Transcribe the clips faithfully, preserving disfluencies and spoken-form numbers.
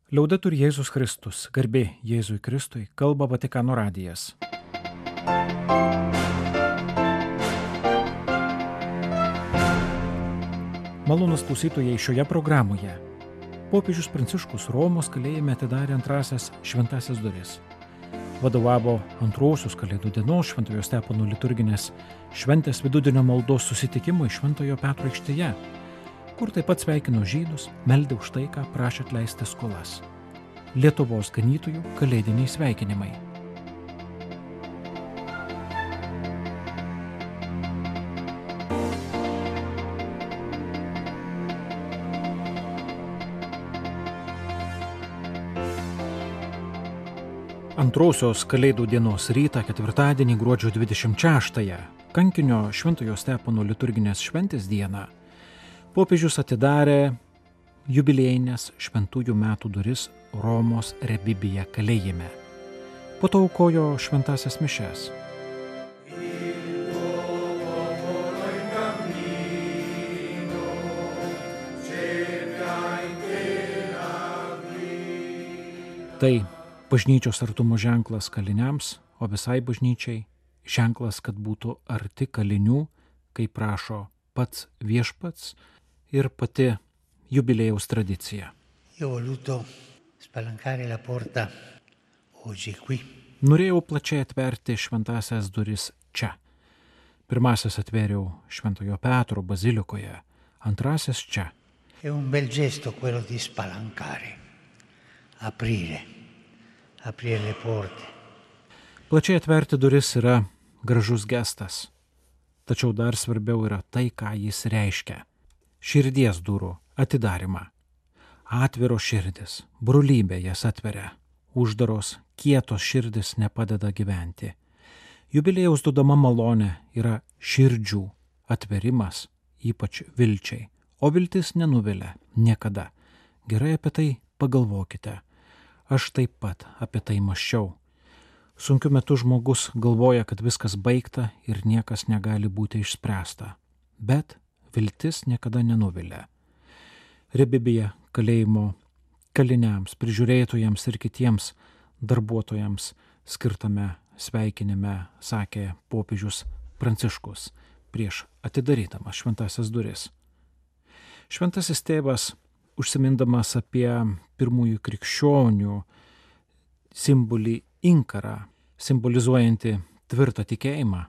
Liaudetur Jėzus Kristus, garbė Jėzui Kristui, kalba Vatikano radijas. Malonūs klausytojai, šioje programoje popiežius Pranciškus Romos kalėjime atidarė antrasias šventasias duris. Vadovavo antrosios Kalėdų dienos Šventojo Stepono liturginės šventės vidudienio maldos susitikimui Šventojo Petro aikštėje, kur taip pat sveikino žydus, meldė už taiką, prašė atleisti skolas. Lietuvos ganytojų kalėdiniai sveikinimai. Antrosios Kalėdų dienos rytą, ketvirtadienį gruodžio dvidešimt šeštąją, kankinio Šventojo Stepono liturginės šventės dieną, popiežius atidarė jubiliejinės šventųjų metų duris Romos Rebibyje kalėjime. Po to aukojo šventasias mišias. Tai bažnyčios artumo ženklas kaliniams, o visai bažnyčiai ženklas, kad būtų arti kalinių, kaip prašo pats viešpats ir pati jubiliejaus tradicija. Norėjau plačiai atverti šventasias duris čia. Pirmasis atvėriau Šventojo Petro bazilikoje, antrasis čia. È un bel gesto quello di spalancare, aprire, aprire le porte. Plačiai atverti duris yra gražus gestas, tačiau dar svarbiau yra tai, ką jis reiškia. Širdies durų atidarimą. Atviro širdis, brolybė jas atveria. Uždaros, kietos širdis nepadeda gyventi. Jubiliejaus duodama malonė yra širdžių atverimas, ypač vilčiai. O viltis nenuvilia niekada. Gerai apie tai pagalvokite. Aš taip pat apie tai mąsčiau. Sunkiu metu žmogus galvoja, kad viskas baigta ir niekas negali būti išspręsta. Bet viltis niekada nenuvilia. Rebibyje kalėjimo kaliniams, prižiūrėtojams ir kitiems darbuotojams skirtame sveikinime sakė popiežius Pranciškus prieš atidarydamas šventasias duris. Šventasis tėvas, užsimindamas apie pirmųjų krikščionių simbolį inkarą, simbolizuojantį tvirtą tikėjimą,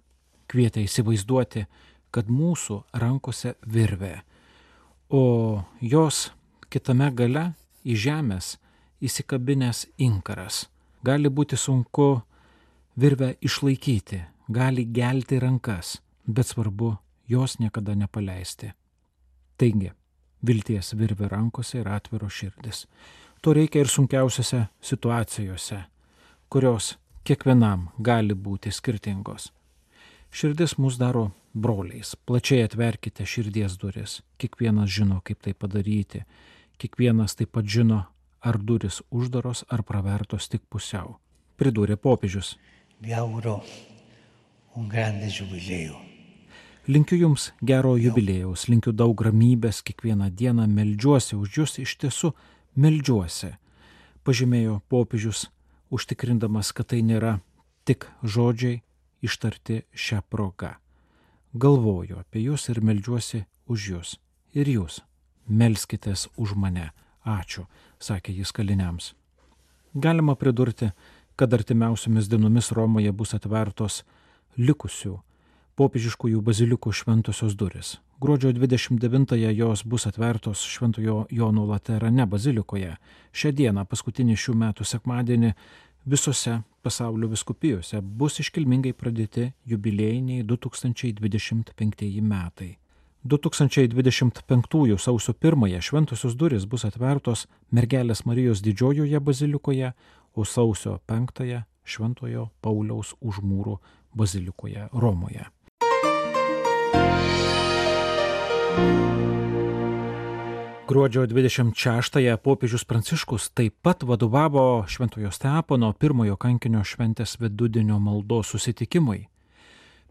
kvietė įsivaizduoti, kad mūsų rankose virvė, o jos kitame gale į žemės įsikabinęs inkaras. Gali būti sunku virvę išlaikyti, gali gelti rankas, bet svarbu jos niekada nepaleisti. Taigi, vilties virvė rankose ir atviro širdis. To reikia ir sunkiausiose situacijose, kurios kiekvienam gali būti skirtingos. Širdis mus daro broliais. Plačiai atverkite širdies duris. Kiekvienas žino, kaip tai padaryti. Kiekvienas taip pat žino, ar duris uždaros, ar pravertos tik pusiau. Pridūrė popiežius. Linkiu jums gero jubiliejaus, linkiu daug ramybės, kiekvieną dieną meldžiuosi už jūs, iš tiesų meldžiuosi, pažymėjo popiežius, užtikrindamas, kad tai nėra tik žodžiai ištarti šią progą. Galvoju apie jūs ir meldžiuosi už jūs. Ir jūs melskitės už mane. Ačiū, sakė jis kaliniams. Galima pridurti, kad artimiausiomis dienomis Romoje bus atvertos likusių popiežiškųjų bazilikų šventosios duris. Gruodžio dvidešimt devintąją jos bus atvertos Šventojo Jono Laterane bazilikoje. Šią dieną, paskutinį šių metų sekmadienį, visose pasaulio vyskupijose bus iškilmingai pradėti jubiliejiniai du tūkstančiai dvidešimt penktieji metai. du tūkstančiai dvidešimt penktųjų sausio pirmąją šventosios durys bus atvertos Mergelės Marijos didžiojoje bazilikoje, o sausio penktąją Šventojo Pauliaus Užmūrų bazilikoje Romoje. Gruodžio dvidešimt šeštąją popiežius Pranciškus taip pat vadovavo Šventojo Stepono pirmojo kankinio šventės vidudienio maldos susitikimui.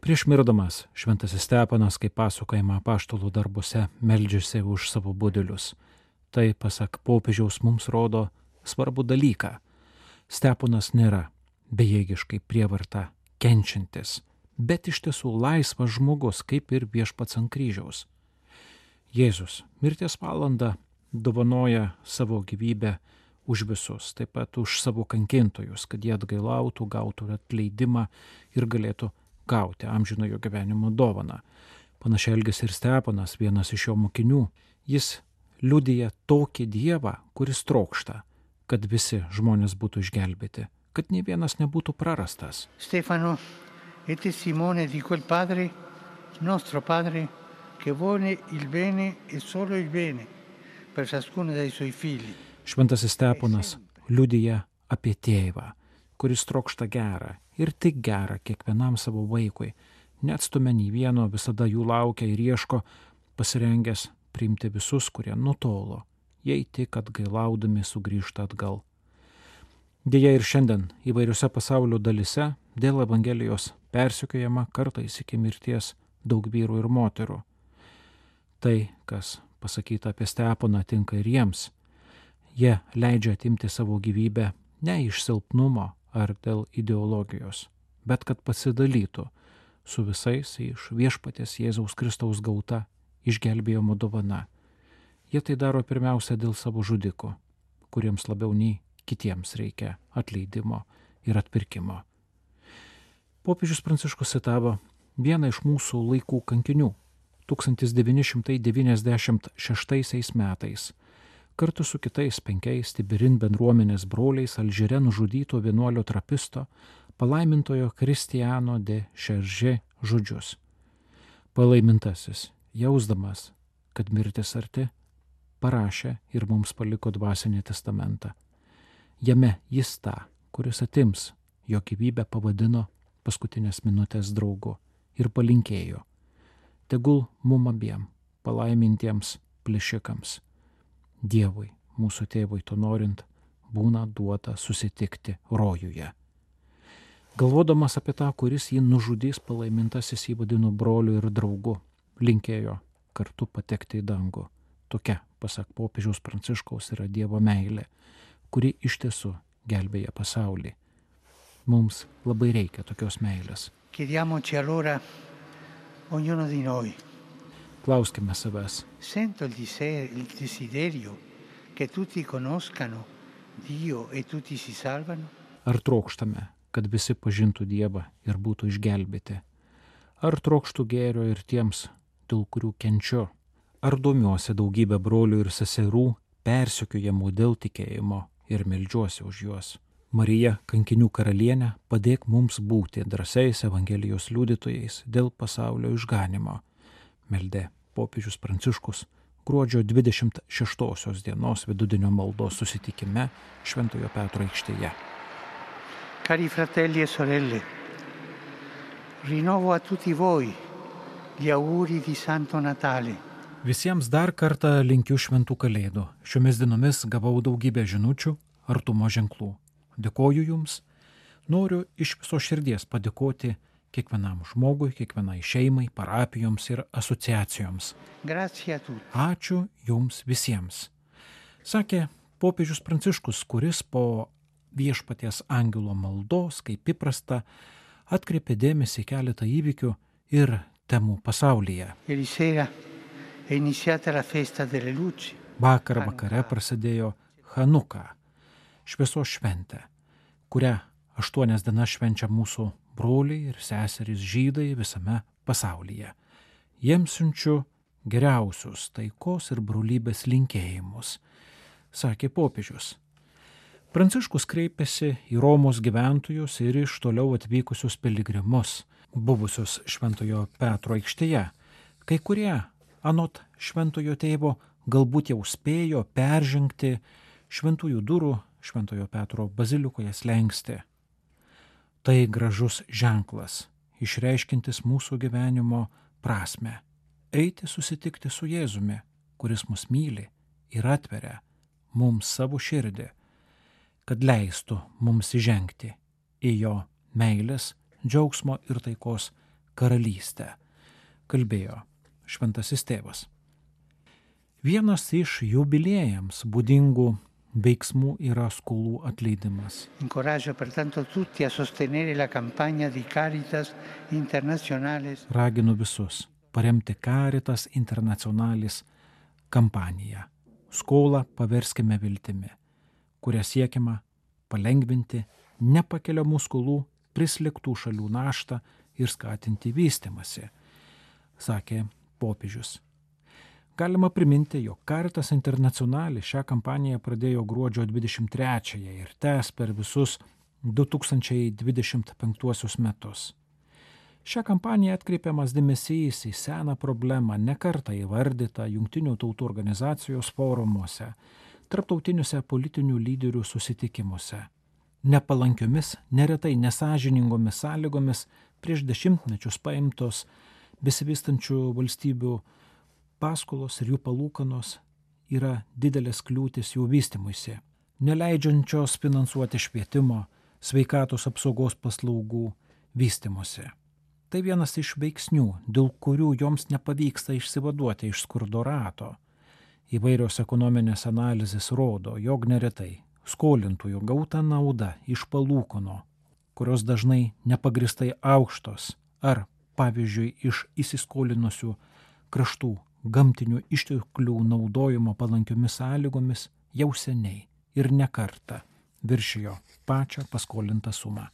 Prieš mirdamas šventasis Stepanas, kaip pasakojama apaštalų darbuose, meldžiasi už savo budelius. Tai, pasak popiežiaus, mums rodo svarbų dalyką. Steponas nėra bejėgiškai prievarta kenčiantis, bet iš tiesų laisvas žmogus, kaip ir viešpats ant kryžiaus. Jėzus mirties valandą dovanoja savo gyvybę už visus, taip pat už savo kankintojus, kad jie atgailautų, gautų atleidimą ir galėtų gauti amžinojo gyvenimo dovaną. Panašiai elgėsi ir Steponas, vienas iš jo mokinių. Jis liudija tokį Dievą, kuris trokšta, kad visi žmonės būtų išgelbėti, kad nė vienas nebūtų prarastas. Stefano è testimone di quel Padre, nostro Padre, che vuole il bene e solo il bene per ciascuno dei suoi figli. Šventasis Steponas liudija apie tėvą, kuris trokšta gerą ir tik gerą kiekvienam savo vaikui, neatstumia nei vieno, visada jų laukia ir ieško, pasirengęs priimti visus, kurie nutolo, jei tik atgailaudami sugrįžta atgal. Deja ir šiandien įvairiose pasaulio dalise dėl Evangelijos persekiojama kartais iki mirties daug vyrų ir moterų. Tai, kas pasakyta apie Steponą, tinka ir jiems. Jie leidžia atimti savo gyvybę ne iš silpnumo ar dėl ideologijos, bet kad pasidalytų su visais iš viešpaties Jėzaus Kristaus gauta išgelbėjimo dovana. Jie tai daro pirmiausia dėl savo žudikų, kuriems labiau nei kitiems reikia atleidimo ir atpirkimo. Popiežius Pranciškus citavo vieną iš mūsų laikų kankinių. tūkstantis devyni šimtai devyniasdešimt šeštaisiais metais kartu su kitais penkiais Tiberin bendruomenės broliais Alžyre nužudyto vienuolio trapisto palaimintojo Kristiano de Šeržė žodžius. Palaimintasis, jausdamas, kad mirtis arti, parašė ir mums paliko dvasinį testamentą. Jame jis tą, kuris atims jo gyvybę, pavadino paskutinės minutės draugu ir palinkėjo: tegul mum abiem, palaimintiems plėšikams, Dievui, mūsų tėvui to norint, būna duota susitikti rojuje. Galvodamas apie tą, kuris jį nužudys, palaimintasis jį vadino broliu ir draugu, linkėjo kartu patekti į dangų. Tokia, pasak popiežiaus Pranciškaus, yra Dievo meilė, kuri iš tiesų gelbėja pasaulį. Mums labai reikia tokios meilės. Chiediamoci allora, ognuno di noi, Klauskime savęs. sento il dise- il desiderio che tutti conoscano Dio e tutti si salvano? Ar trokštame, kad visi pažintų Dievą ir būtų išgelbėti? Ar trokštų gėrio ir tiems, dėl kurių kenčiu? Ar domiuosi daugybę brolių ir seserų persekiojamų dėl tikėjimo ir meldžiuosi už juos? Marija, kankinių karalienė, padėk mums būti drąsiais Evangelijos liudytojais dėl pasaulio išganimo. Meldė popiežius Pranciškus gruodžio dvidešimt šeštosios dienos vidudienio maldos susitikime Šventojo Petro aikštėje. Cari fratelli e sorelle, rinnovo a tutti voi gli auguri di Santo Natale. Visiems dar kartą linkiu šventų kalėdų. Šiomis dienomis gavau daugybę žinučių, artumo ženklų. Dėkoju Jums. Noriu iš viso širdies padėkoti kiekvienam žmogui, kiekvienai šeimai, parapijoms ir asociacijoms. Grazie a tutti. Ačiū Jums visiems. Sakė popiežius Pranciškus, kuris po viešpaties angelo maldos, kaip įprasta, atkreipė dėmesį keletą įvykių ir temų pasaulyje. Ieri sera è iniziata la festa delle luci. Vakar vakare prasidėjo Hanuka, šviesos šventė, kurią aštuonias dienas švenčia mūsų broliai ir seserys žydai visame pasaulyje. Jiems siunčiu geriausius taikos ir brolybės linkėjimus, sakė popiežius. Pranciškus kreipėsi į Romos gyventojus ir iš toliau atvykusius piligrimus, buvusius Šventojo Petro aikštėje. Kai kurie, anot Šventojo tėvo, galbūt jau spėjo peržengti šventųjų durų Šventojo Petro bazilikoje slenkstį. Tai gražus ženklas, išreiškintis mūsų gyvenimo prasme. Eiti susitikti su Jėzumi, kuris mus myli ir atveria mums savo širdį, kad leistų mums įžengti į jo meilės, džiaugsmo ir taikos karalystę, kalbėjo Šventasis tėvas. Vienas iš jubiliejams būdingų veiksmų yra skolų atleidimas. Incoraggio pertanto tutti a sostenere la campagna di Caritas Internationalis. Raginu visus paremti Caritas Internationalis kampaniją. Skolą paverskime viltimi, kuria siekiama palengvinti nepakeliamų skolų prislėgtų šalių naštą ir skatinti vystymąsi, sakė popiežius. Galima priminti, jog Caritas Internationalis šią kampaniją pradėjo gruodžio dvidešimt trečiąją ir tęs per visus du tūkstančiai dvidešimt penktuosius metus. Šią kampaniją atkreipiamas dėmesys į seną problemą nekartą įvardytą Jungtinių tautų organizacijos forumuose, tarptautiniuose politinių lyderių susitikimuose. Nepalankiomis, neretai nesąžiningomis sąlygomis prieš dešimtmečius paimtos besivystančių valstybių paskolos ir jų palūkanos yra didelės kliūtis jų vystymuisi, neleidžiančios finansuoti švietimo, sveikatos apsaugos paslaugų vystymusi. Tai vienas iš veiksnių, dėl kurių joms nepavyksta išsivaduoti iš skurdo rato. Įvairios ekonominės analizės rodo, jog neretai skolintųjų gauta nauda iš palūkanų, kurios dažnai nepagristai aukštos, ar, pavyzdžiui, iš įsiskolinusių kraštų gamtinių išteklių naudojimo palankiomis sąlygomis jau seniai ir ne kartą viršijo pačią paskolintą sumą.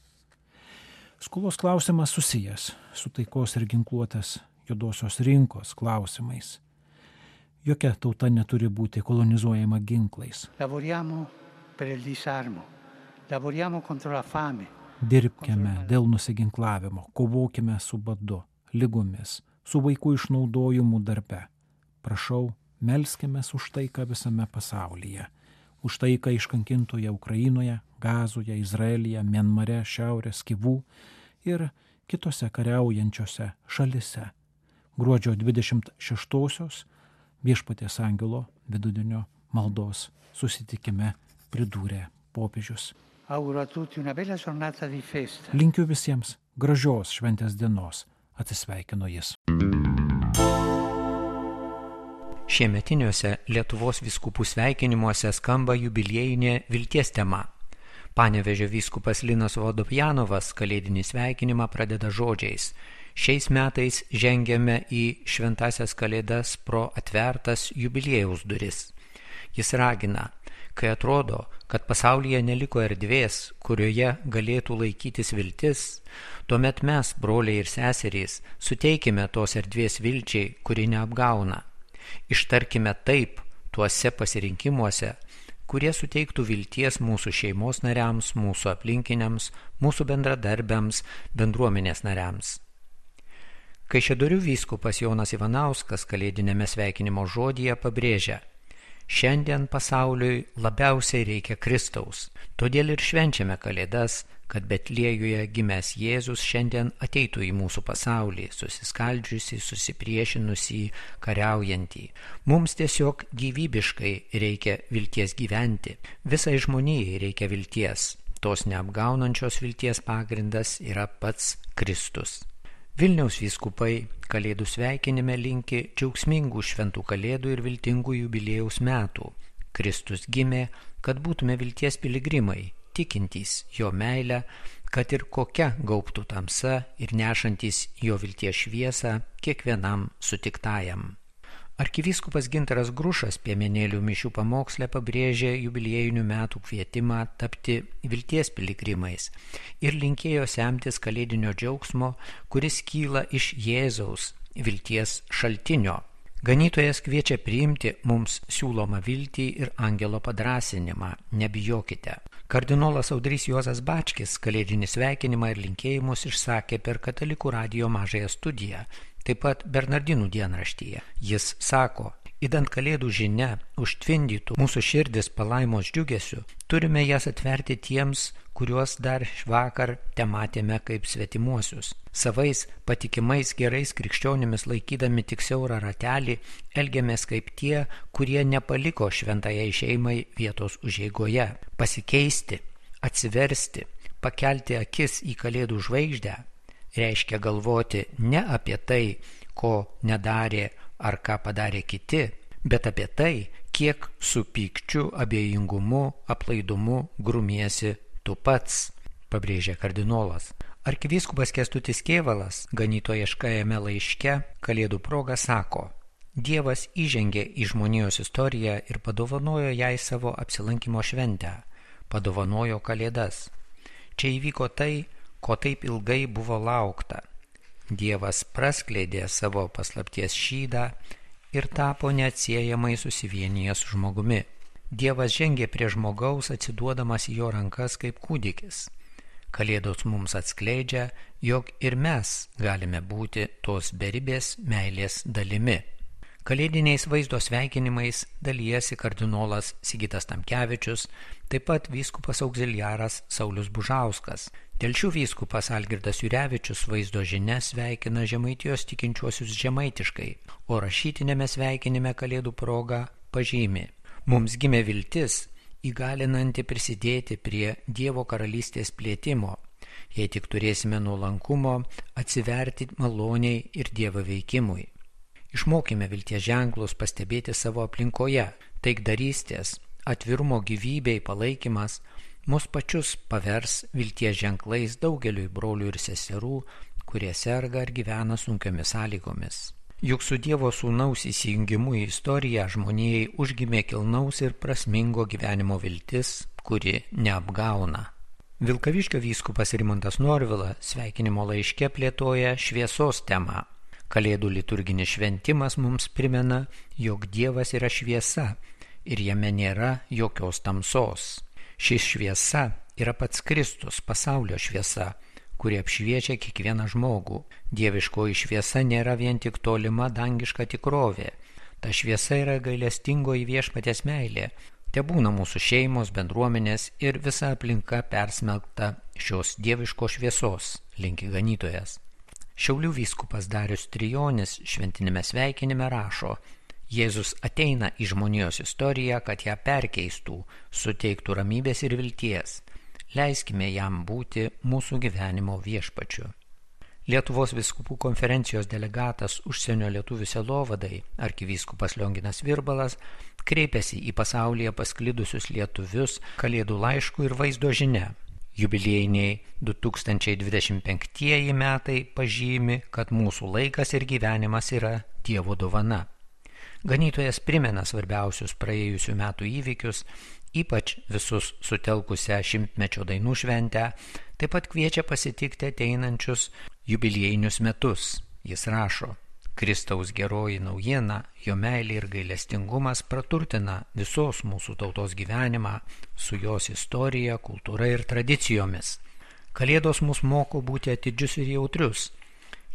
Skolos klausimas susijęs su taikos ir ginkluotės juodosios rinkos klausimais. Jokia tauta neturi būti kolonizuojama ginklais. Lavoriamo per il disarmo, lavoriamo contro la fame. Dirbkime dėl nusiginklavimo, kovokime su badu, ligomis, su vaikų išnaudojimu darbe. Prašau, melskimės už taiką visame pasaulyje, už taiką iškankintoje Ukrainoje, Gazoje, Izraelyje, Mianmare, Šiaurės Kivų ir kitose kariaujančiose šalise. Gruodžio dvidešimt šeštosios Viešpaties angelo vidudienio maldos susitikime pridūrė popiežius. Auguro a tutti una bella giornata di festa. Linkiu visiems gražios šventės dienos, atsisveikino jis. Šiemetiniuose Lietuvos vyskupų sveikinimuose skamba jubiliejinė vilties tema. Panevėžio vyskupas Linas Vodopjanovas kalėdinį sveikinimą pradeda žodžiais: šiais metais žengiame į šventasias kalėdas pro atvertas jubiliejaus duris. Jis ragina, kai atrodo, kad pasaulyje neliko erdvės, kurioje galėtų laikytis viltis, tuomet mes, broliai ir seserys, suteikime tos erdvės vilčiai, kuri neapgauna. Ištarkime taip tuose pasirinkimuose, kurie suteiktų vilties mūsų šeimos nariams, mūsų aplinkiniams, mūsų bendradarbiams, bendruomenės nariams. Kaišiadorių vyskupas Jonas Ivanauskas kalėdinėme sveikinimo žodyje pabrėžia: šiandien pasauliui labiausiai reikia Kristaus, todėl ir švenčiame kalėdas, kad Betliejuje gimęs Jėzus šiandien ateitų į mūsų pasaulį, susiskaldžiusi, susipriešinusį, kariaujantį. Mums tiesiog gyvybiškai reikia vilties gyventi. Visai žmonijai reikia vilties. Tos neapgaunančios vilties pagrindas yra pats Kristus. Vilniaus vyskupai kalėdų sveikinime linki džiaugsmingų šventų kalėdų ir viltingų jubiliejaus metų. Kristus gimė, kad būtume vilties piligrimai, tikintys jo meilę, kad ir kokia gaubtų tamsa ir nešantys jo vilties šviesą kiekvienam sutiktajam. Arkivyskupas Gintaras Grušas Piemenėlių mišių pamoksle pabrėžė jubiliejinių metų kvietimą tapti vilties piligrimais ir linkėjo semtis kalėdinio džiaugsmo, kuris kyla iš Jėzaus vilties šaltinio. Ganytojas kviečia priimti mums siūlomą viltį ir angelo padrąsinimą. Nebijokite. Kardinolas Audrys Juozas Bačkis kalėdinį sveikinimą ir linkėjimus išsakė per Katalikų radijo mažąją studiją, taip pat Bernardinų dienraštyje. Jis sako: idant kalėdų žinia užtvindytų mūsų širdis palaimos džiugesiu, turime jas atverti tiems, kuriuos dar vakar tematėme kaip svetimuosius. Savais, patikimais, gerais krikščionimis laikydami tik siaurą ratelį, elgiamės kaip tie, kurie nepaliko šventajai šeimai vietos užeigoje. Pasikeisti, atsiversti, pakelti akis į kalėdų žvaigždę reiškia galvoti ne apie tai, ko nedarė ar ką padarė kiti, bet apie tai, kiek su pykčiu, abejingumu, aplaidumu grumiesi tu pats, pabrėžė kardinolas. Arkivyskupas Kęstutis Kėvalas ganytojiškajame laiške Kalėdų proga sako: Dievas įžengė į žmonijos istoriją ir padovanojo jai savo apsilankimo šventę, padovanojo Kalėdas. Čia įvyko tai, ko taip ilgai buvo laukta. Dievas praskleidė savo paslapties šydą ir tapo neatsiejamai susivienijęs su žmogumi. Dievas žengė prie žmogaus, atsiduodamas į jo rankas kaip kūdikis. Kalėdos mums atskleidžia, jog ir mes galime būti tos beribės meilės dalimi. Kalėdiniais vaizdo sveikinimais dalijasi kardinolas Sigitas Tamkevičius, taip pat vyskupas auxiliaras Saulius Bužauskas. Telšių vyskupas Algirdas Jurevičius vaizdo žinia sveikina žemaitijos tikinčiuosius žemaitiškai, o rašytinėme sveikinime Kalėdų proga pažymi: mums gimė viltis, įgalinanti prisidėti prie Dievo karalystės plėtimo, jei tik turėsime nuolankumo atsiverti maloniai ir Dievo veikimui. Išmokime vilties ženklus pastebėti savo aplinkoje, taikdarystės, atvirumo gyvybei palaikymas mus pačius pavers vilties ženklais daugeliui brolių ir seserų, kurie serga ar gyvena sunkiomis sąlygomis. Juk su Dievo sūnaus įsijungimu į istoriją žmonijai užgimė kilnaus ir prasmingo gyvenimo viltis, kuri neapgauna. Vilkaviškio vyskupas Rimantas Norvila sveikinimo laiške plėtoja šviesos temą. Kalėdų liturginis šventimas mums primena, jog Dievas yra šviesa ir jame nėra jokios tamsos. Ši šviesa yra pats Kristus, pasaulio šviesa, kuri apšviečia kiekvieną žmogų. Dieviškoji šviesa nėra vien tik tolima dangiška tikrovė. Ta šviesa yra gailestingoji viešpaties meilė. Tebūna mūsų šeimos, bendruomenės ir visa aplinka persmelkta šios dieviškos šviesos, linki ganytojas. Šiaulių vyskupas Darius Trijonis šventinėme sveikinime rašo: Jėzus ateina į žmonijos istoriją, kad ją perkeistų, suteiktų ramybės ir vilties. Leiskime jam būti mūsų gyvenimo viešpačiu. Lietuvos vyskupų konferencijos delegatas užsienio lietuvių sielovadai, arkivyskupas Lionginas Virbalas, kreipėsi į pasaulyje pasklidusius lietuvius Kalėdų laišku ir vaizdo žinia. Jubiliejiniai du tūkstančiai dvidešimt penktieji metai pažymi, kad mūsų laikas ir gyvenimas yra Dievo dovana. Ganytojas primena svarbiausius praėjusių metų įvykius, ypač visus sutelkusią šimtmečio dainų šventę, taip pat kviečia pasitikti ateinančius jubiliejinius metus. Jis rašo: Kristaus geroji naujiena, jo meilė ir gailestingumas praturtina visos mūsų tautos gyvenimą su jos istorija, kultūra ir tradicijomis. Kalėdos mus moko būti atidžius ir jautrius.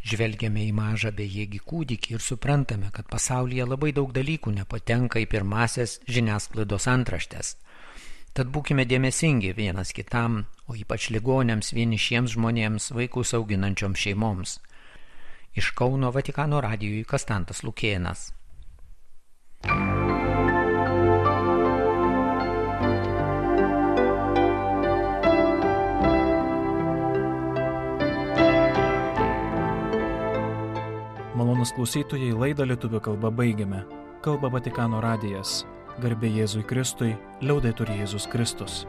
Žvelgiame į mažą bejėgį kūdikį ir suprantame, kad pasaulyje labai daug dalykų nepatenka į pirmasias žiniasklaidos antraštes. Tad būkime dėmesingi vienas kitam, o ypač ligoniams, vienišiems žmonėms, vaikus auginančioms šeimoms. Iš Kauno Vatikano radijui Kastantas Lukėnas. Malonus klausytojai, laidą lietuvių kalba baigiame. Kalba Vatikano radijas. Garbė Jėzui Kristui, liaudetur Jėzus Kristus.